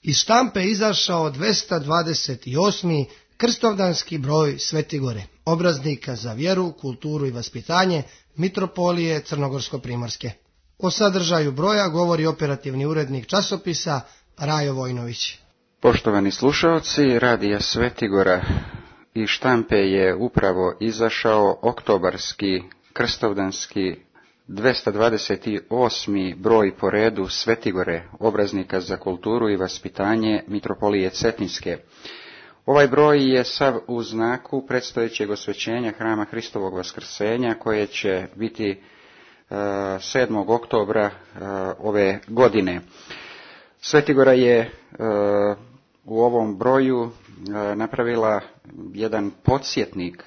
Iz štampe izašao 228. krstovdanski broj Svetigore, obraznika za vjeru, kulturu i vaspitanje Mitropolije Crnogorsko-primorske. O sadržaju broja govori operativni urednik časopisa Rajo Vojnović. Poštovani slušalci, radija Svetigora i štampe je upravo izašao oktobarski krstovdanski 228. broj po redu Svetigore, obraznika za kulturu i vaspitanje Mitropolije Cetinske. Ovaj broj je sav u znaku predstojećeg osvećenja Hrama Hristovog Vaskrsenja koje će biti 7. oktobra ove godine. Svetigora je u ovom broju napravila jedan podsjetnik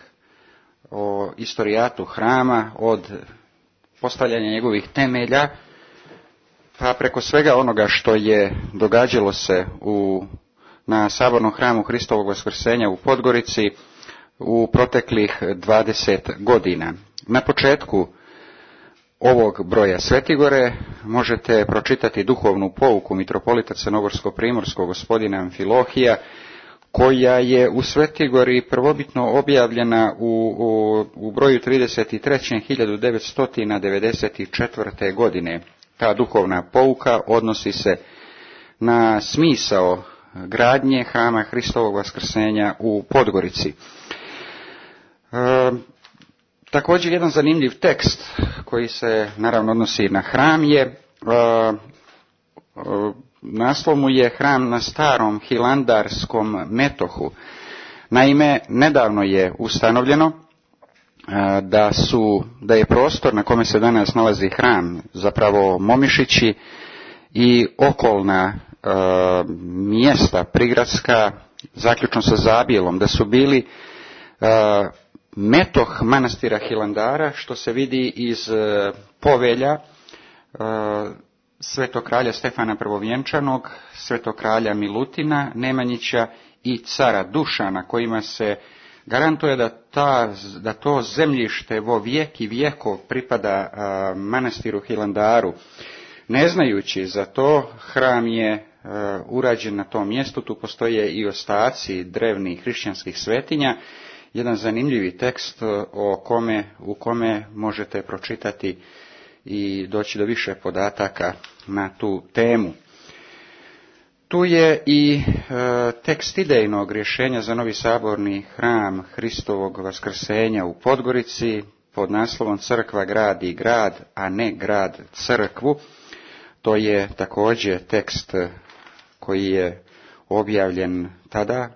o istorijatu hrama od postavljanja njegovih temelja, pa preko svega onoga što je događalo se na Sabornom hramu Hristovog Vaskrsenja u Podgorici u proteklih 20 godina. Na početku ovog broja Svetigore možete pročitati duhovnu pouku mitropolita Crnogorsko-primorskog gospodina Amfilohija, koja je u Svetigori prvobitno objavljena u broju 33. 1994. godine. Ta duhovna pouka odnosi se na smisao gradnje Hrama Hristovog Vaskrsenja u Podgorici. Također jedan zanimljiv tekst koji se naravno odnosi na hram je, naslov mu je Hram na starom hilandarskom metohu. Naime, nedavno je ustanovljeno da je prostor na kome se danas nalazi hram zapravo Momišići i okolna mjesta prigradska, zaključno sa Zabijelom, da su bili metoh manastira Hilandara, što se vidi iz povelja svetog kralja Stefana Prvovjenčanog, svetog kralja Milutina Nemanjića i cara Dušana, kojima se garantuje da to zemljište vo vijek i vijekov pripada manastiru Hilandaru. Ne znajući za to, hram je urađen na tom mjestu, tu postoje i ostaci drevnih hrišćanskih svetinja. Jedan zanimljivi tekst u kome možete pročitati i doći do više podataka na tu temu. Tu je i tekst idejnog rješenja za novi saborni hram Hristovog Vaskrsenja u Podgorici pod naslovom Crkva gradi grad, a ne grad crkvu. To je također tekst koji je objavljen tada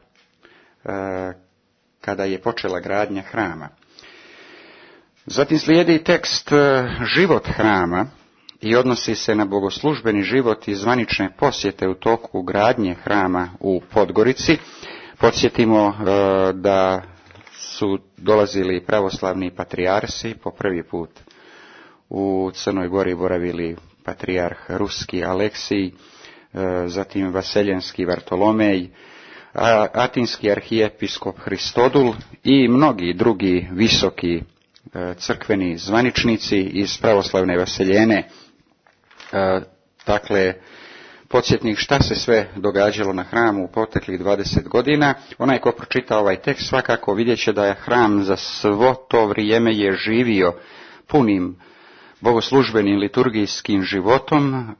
kada je počela gradnja hrama. Zatim slijedi tekst Život hrama i odnosi se na bogoslužbeni život i zvanične posjete u toku gradnje hrama u Podgorici. Podsjetimo da su dolazili pravoslavni patrijarsi, po prvi put u Crnoj Gori boravili patrijarh Ruski Aleksij, zatim Vaseljenski Vartolomej, atinski arhijepiskop Hristodul i mnogi drugi visoki crkveni zvaničnici iz pravoslavne Vaseljene. Dakle, podsjetnik šta se sve događalo na hramu u proteklih 20 godina. Onaj ko pročita ovaj tekst svakako vidjet će da je hram za svo to vrijeme je živio punim bogoslužbenim liturgijskim životom,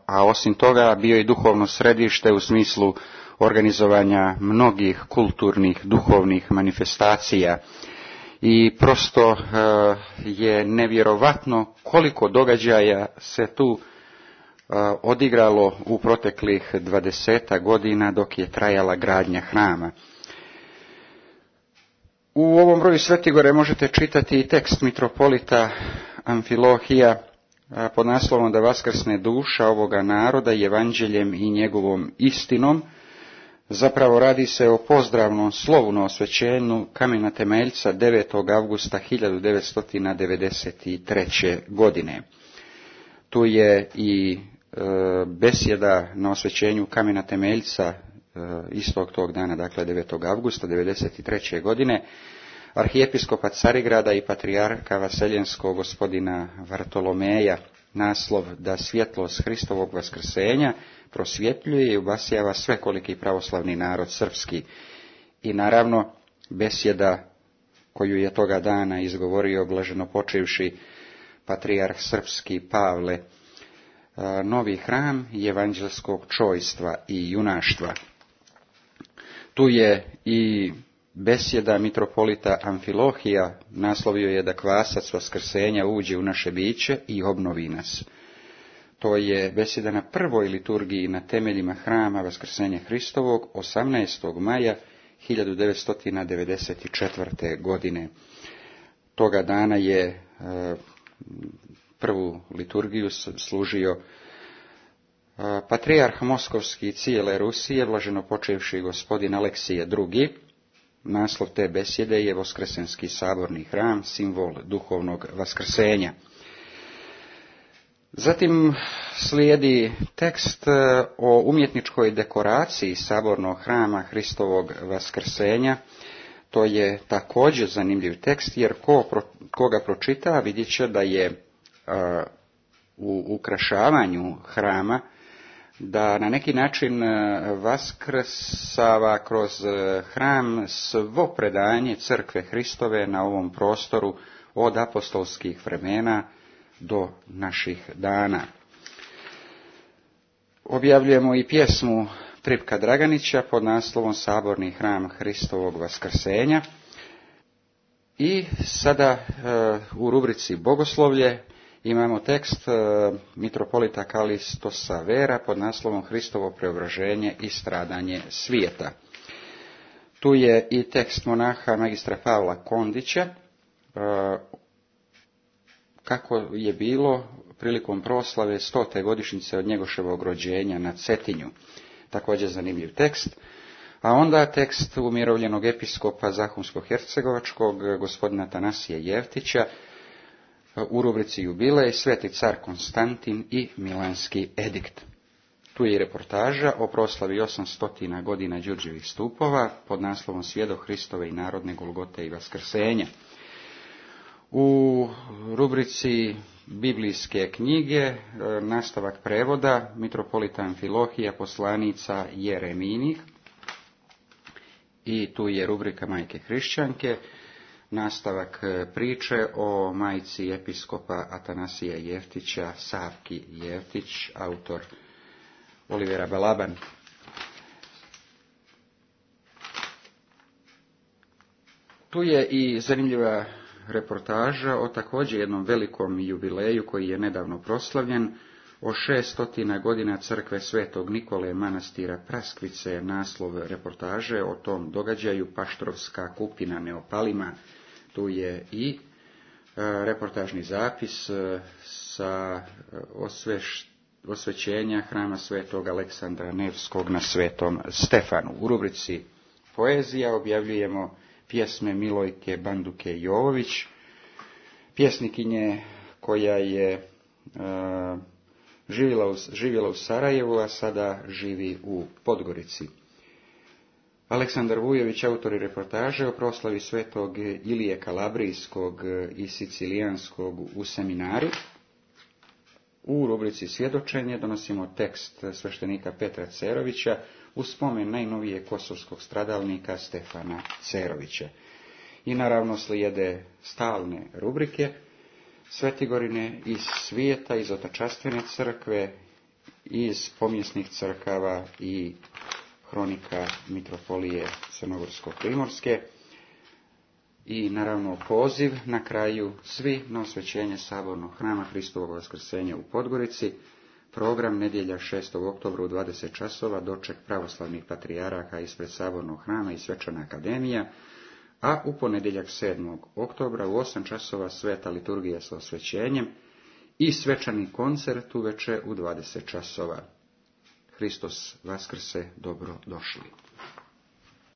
a osim toga bio i duhovno središte u smislu organizovanja mnogih kulturnih, duhovnih manifestacija. I prosto je nevjerovatno koliko događaja se tu odigralo u proteklih 20 godina dok je trajala gradnja hrama. U ovom broju Svetigore možete čitati i tekst mitropolita Amfilohija pod naslovom da vaskrsne duša ovoga naroda evanđeljem i njegovom istinom. Zapravo radi se o pozdravnom slovu na osvećenju kamena temeljca 9. avgusta 1993. godine. Tu je i besjeda na osvećenju kamena temeljca istog tog dana, dakle 9. avgusta 1993. godine, arhijepiskopa Carigrada i patrijarka Vaseljenskog gospodina Vartolomeja naslov da svjetlost Hristovog vaskrsenja prosvjetljuje i obasjava svekoliki pravoslavni narod srpski. I naravno besjeda koju je toga dana izgovorio blaženopočivši patrijarh srpski Pavle, novi hram evanđelskog čojstva i junaštva. Tu je i besjeda mitropolita Amfilohija, naslovio je da kvasac vaskrsenja uđe u naše biće i obnovi nas. To je besjeda na prvoj liturgiji na temeljima hrama vaskrsenja Hristovog 18. maja 1994. godine. Toga dana je prvu liturgiju služio patrijarh moskovski cijele Rusije, blaženopočivši gospodin Aleksije II. Naslov te besjede je Voskresenski saborni hram, simbol duhovnog vaskrsenja. Zatim slijedi tekst o umjetničkoj dekoraciji sabornog hrama Hristovog vaskrsenja. To je također zanimljiv tekst, jer koga pročita vidjet će da je u ukrašavanju hrama, da na neki način vaskrsava kroz hram svo predanje crkve Hristove na ovom prostoru od apostolskih vremena do naših dana. Objavljujemo i pjesmu Tripka Draganića pod naslovom Saborni hram Hristovog vaskrsenja. I sada u rubrici Bogoslovlje imamo tekst mitropolita Kalistosa Vera pod naslovom Hristovo preobraženje i stradanje svijeta. Tu je i tekst monaha magistra Pavla Kondića, kako je bilo prilikom proslave 100. godišnjice od Njegoševog rođenja na Cetinju. Također zanimljiv tekst. A onda tekst umirovljenog episkopa Zahumsko-hercegovačkog gospodina Atanasija Jevtića u rubrici Jubilej, Sveti car Konstantin i Milanski edikt. Tu je i reportaža o proslavi 800 godina Đurđevih stupova pod naslovom Svjedok Hristove i narodne Golgote i vaskrsenja. U rubrici Biblijske knjige nastavak prevoda mitropolita Amfilohija poslanica Jereminih. I tu je rubrika Majke hrišćanke, nastavak priče o majci episkopa Atanasija Jevtića, Savki Jevtić, autor Olivera Balaban. Tu je i zanimljiva reportaža o također jednom velikom jubileju koji je nedavno proslavljen, o 600 godina crkve Svetog Nikole manastira Praskvice. Naslov reportaže o tom događaju Paštrovska kupina neopalima. Tu je i reportažni zapis sa osvećenja hrama Svetog Aleksandra Nevskog na Svetom Stefanu. U rubrici Poezija objavljujemo pjesme Milojke Banduke Jovović, pjesnikinje koja je živjela u Sarajevu, a sada živi u Podgorici. Aleksandar Vujović, autor reportaže o proslavi Svetog Ilije Kalabrijskog i Sicilijanskog u seminari. U rubrici Svjedočenje donosimo tekst sveštenika Petra Cerovića u spomen najnovije kosovskog stradalnika Stefana Cerovića. I naravno slijede stalne rubrike Svetigorine iz svijeta, iz otačastvene crkve, iz pomjesnih crkava i hronika mitropolije Crnogorsko-primorske. I naravno poziv na kraju svi na osvećenje sabornog hrama Hristovog vaskrsenja u Podgorici. Program nedjelja 6. oktobra u 20 časova, doček pravoslavnih patrijaraka ispred sabornog hrama i svečana akademija, a u ponedjeljak 7. oktobra u 8 časova sveta liturgija sa osvećenjem i svečani koncert uveče u 20 časova. Hristos vaskrse, dobro došli.